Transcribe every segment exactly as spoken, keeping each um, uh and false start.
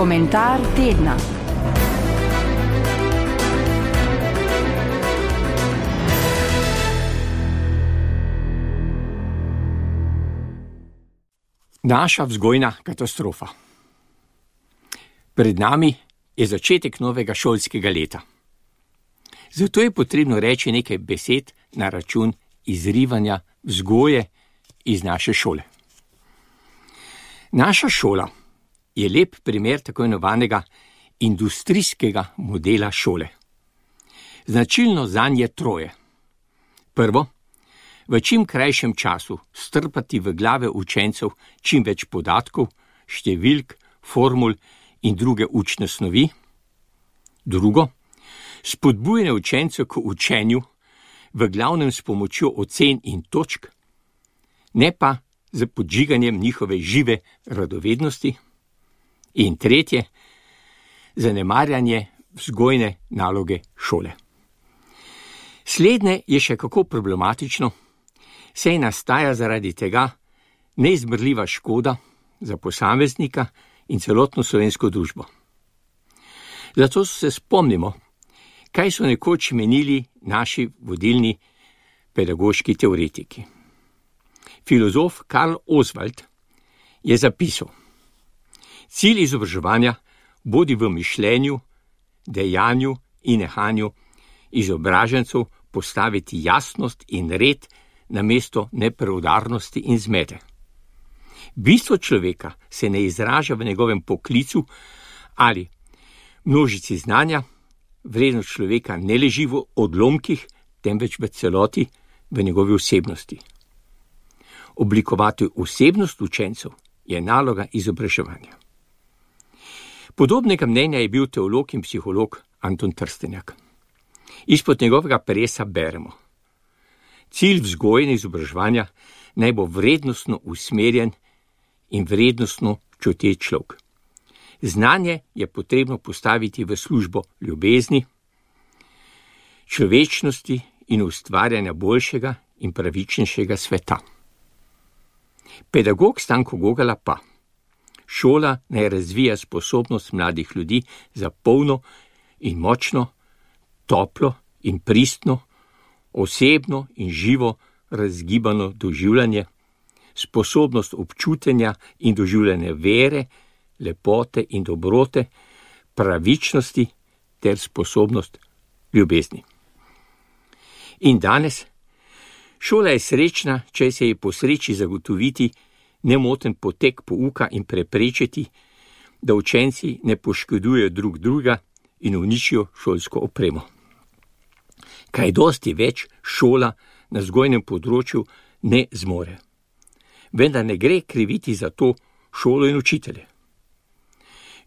Komentar tedna. Naša vzgojna katastrofa. Pred nami je začetek novega šolskega leta. Zato je potrebno reči nekaj besed na račun izrivanja vzgoje iz naše šole. Naša šola je lep primer tako imenovanega industrijskega modela šole. Značilno zanj je troje. Prvo, v čim krajšem času strpati v glave učencev čim več podatkov, številk, formul in druge učne snovi. Drugo, spodbujanje učencev k učenju, v glavnem s pomočjo ocen in točk, ne pa z podžiganjem njihove žive radovednosti. In tretje, zanemarjanje vzgojne naloge šole. Slednje je še kako problematično, saj nastaja zaradi tega neizmerljiva škoda za posameznika in celotno slovensko družbo. Zato se spomnimo, kaj so nekoč menili naši vodilni pedagoški teoretiki. Filozof Karl Oswald je zapisal: cilj izobraževanja bodi v mišljenju, dejanju in nehanju izobražencev postaviti jasnost in red namesto nepreudarnosti in zmede. Bistvo človeka se ne izraža v njegovem poklicu ali množici znanja, vrednost človeka ne leži v odlomkih, temveč v celoti v njegovi osebnosti. Oblikovati osebnost učencev je naloga izobraževanja. Podobnega mnenja je bil teolog in psiholog Anton Trstenjak. Izpod njegovega peresa beremo: cilj vzgoje in izobraževanja naj bo vrednostno usmerjen in vrednostno čuteč človek. Znanje je potrebno postaviti v službo ljubezni, človečnosti in ustvarjanja boljšega in pravičnejšega sveta. Pedagog Stanko Gogala pa: šola naj razvija sposobnost mladih ljudi za polno in močno, toplo in pristno, osebno in živo razgibano doživljanje, sposobnost občutenja in doživljanja vere, lepote in dobrote, pravičnosti ter sposobnost ljubezni. In danes šola je srečna, če se ji posreči zagotoviti nemoten potek pouka in preprečiti, da učenci ne poškodujejo drug drugega in uničijo šolsko opremo. Kaj dosti več šola na vzgojnem področju ne zmore. Vendar ne gre kriviti za to šolo in učitelje.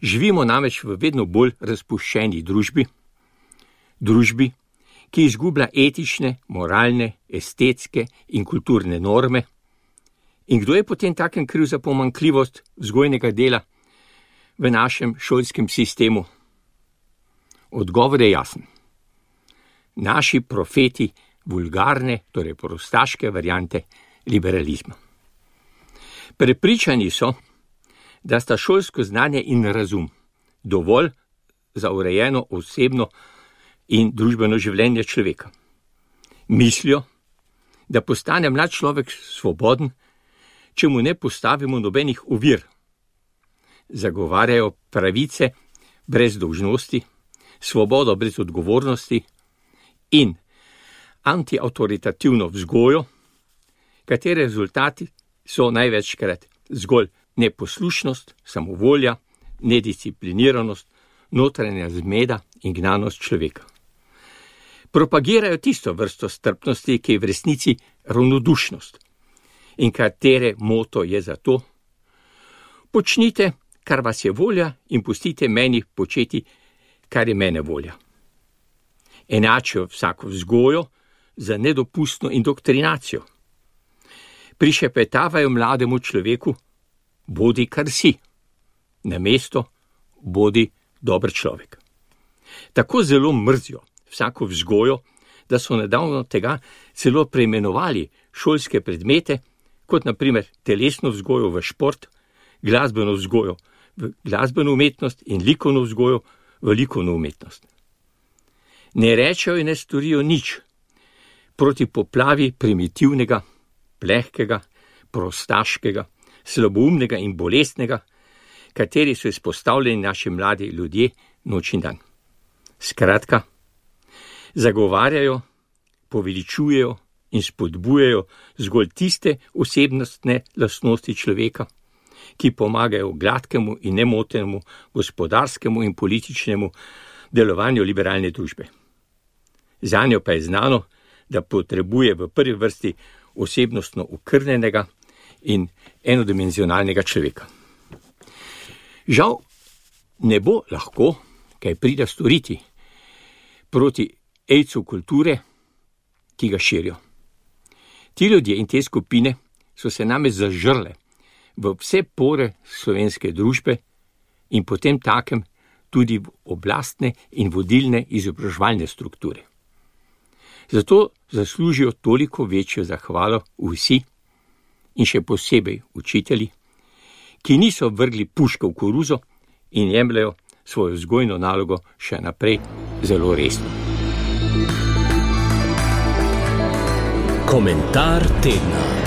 Živimo namreč v vedno bolj razpuščeni družbi, družbi, ki izgublja etične, moralne, estetske in kulturne norme. In kdo je potem takem kriv za pomanjkljivost vzgojnega dela v našem šolskem sistemu? Odgovor je jasen. Naši profeti vulgarne, torej prostaške variante liberalizma. Prepričani so, da sta šolsko znanje in razum dovolj za urejeno osebno in družbeno življenje človeka. Mislijo, da postane mlad človek svoboden, če mu ne postavimo nobenih ovir. Zagovarjajo pravice brez dolžnosti, svobodo brez odgovornosti in antiavtoritativno vzgojo, katere rezultati so največkrat zgolj neposlušnost, samovolja, nediscipliniranost, notranja zmeda in gnanost človeka. Propagirajo tisto vrsto strpnosti, ki je v resnici ravnodušnost in katere moto je zato: počnite, kar vas je volja, in pustite meni početi, kar je mene volja. Enačijo vsako vzgojo za nedopustno indoktrinacijo. Prišepetavajo mlademu človeku: bodi kar si, namesto bodi dober človek. Tako zelo mrzijo vsako vzgojo, da so nedavno tega celo preimenovali šolske predmete, kot na primer telesno vzgojo v šport, glasbeno vzgojo v glasbeno umetnost in likovno vzgojo v likovno umetnost. Ne rečejo in ne storijo nič proti poplavi primitivnega, plehkega, prostaškega, slaboumnega in bolestnega, kateri so izpostavljeni naši mladi ljudje noč in dan. Skratka, zagovarjajo, poveličujejo in spodbujajo zgolj tiste osebnostne lastnosti človeka, ki pomagajo gladkemu in nemotenemu gospodarskemu in političnemu delovanju liberalne družbe. Zanjo pa je znano, da potrebuje v prvi vrsti osebnostno okrnjenega in enodimenzionalnega človeka. Žal ne bo lahko kaj prida storiti proti ejcu kulture, ki ga širijo. Ti ljudje in te skupine so se name zažrle v vse pore slovenske družbe in potem takem tudi v oblastne in vodilne izobraževalne strukture. Zato zaslužijo toliko večjo zahvalo vsi in še posebej učitelji, ki niso vrgli puške v koruzo in jemljajo svojo vzgojno nalogo še naprej zelo resno. Komentar tedna.